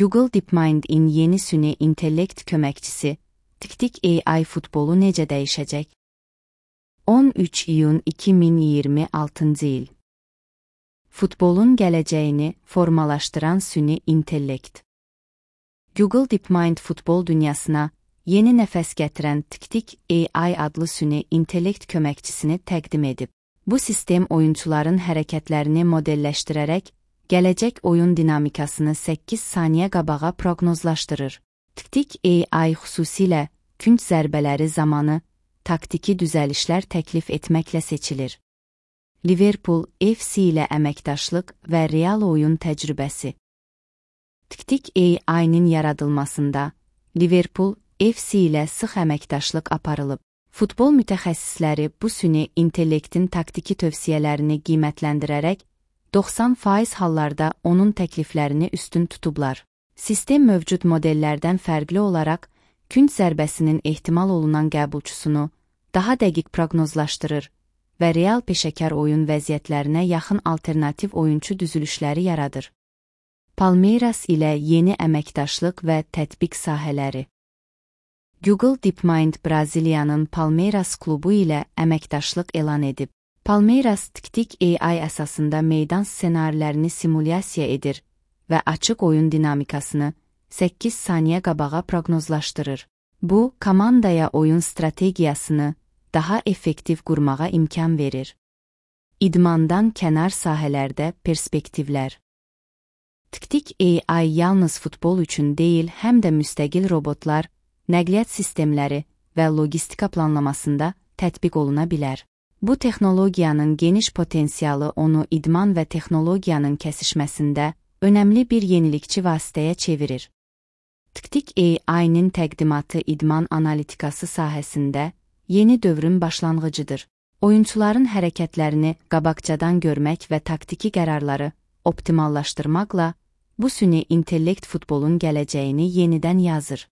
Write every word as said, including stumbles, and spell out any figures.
Google DeepMind'in yeni süni intellekt köməkçisi, Tiktik A I futbolu necə dəyişəcək? on üç iyun iki min iyirmi altıncı il. Futbolun gələcəyini formalaşdıran süni intellekt. Google DeepMind futbol dünyasına yeni nəfəs gətirən Tiktik A I adlı süni intellekt köməkçisini təqdim edib. Bu sistem oyunçuların hərəkətlərini modelləşdirərək, gələcək oyun dinamikasını səkkiz saniyə qabağa proqnozlaşdırır. Tiktik A I xüsusilə künc zərbələri zamanı taktiki düzəlişlər təklif etməklə seçilir. Liverpool F C ilə əməkdaşlıq və real oyun təcrübəsi. Tiktik A I-nin yaradılmasında Liverpool F C ilə sıx əməkdaşlıq aparılıb. Futbol mütəxəssisləri bu süni intellektin taktiki tövsiyələrini qiymətləndirərək, doxsan faiz hallarda onun təkliflərini üstün tutublar. Sistem mövcud modellərdən fərqli olaraq, künc zərbəsinin ehtimal olunan qəbulçusunu daha dəqiq proqnozlaşdırır və real peşəkar oyun vəziyyətlərinə yaxın alternativ oyunçu düzülüşləri yaradır. Palmeiras ilə yeni əməkdaşlıq və tətbiq sahələri. Google DeepMind Braziliyanın Palmeiras klubu ilə əməkdaşlıq elan edib. Palmeiras Tiktik A I əsasında meydan ssenarilərini simulyasiya edir və açıq oyun dinamikasını səkkiz saniyə qabağa proqnozlaşdırır. Bu, komandaya oyun strategiyasını daha effektiv qurmağa imkan verir. İdmandan kənar sahələrdə perspektivlər. Tiktik A I yalnız futbol üçün deyil, həm də müstəqil robotlar, nəqliyyat sistemləri və logistika planlamasında tətbiq oluna bilər. Bu texnologiyanın geniş potensialı onu idman və texnologiyanın kəsişməsində önəmli bir yenilikçi vasitəyə çevirir. Tiktik A I-nin təqdimatı idman analitikası sahəsində yeni dövrün başlanğıcıdır. Oyunçuların hərəkətlərini qabaqcadan görmək və taktiki qərarları optimallaşdırmaqla bu süni intellekt futbolun gələcəyini yenidən yazır.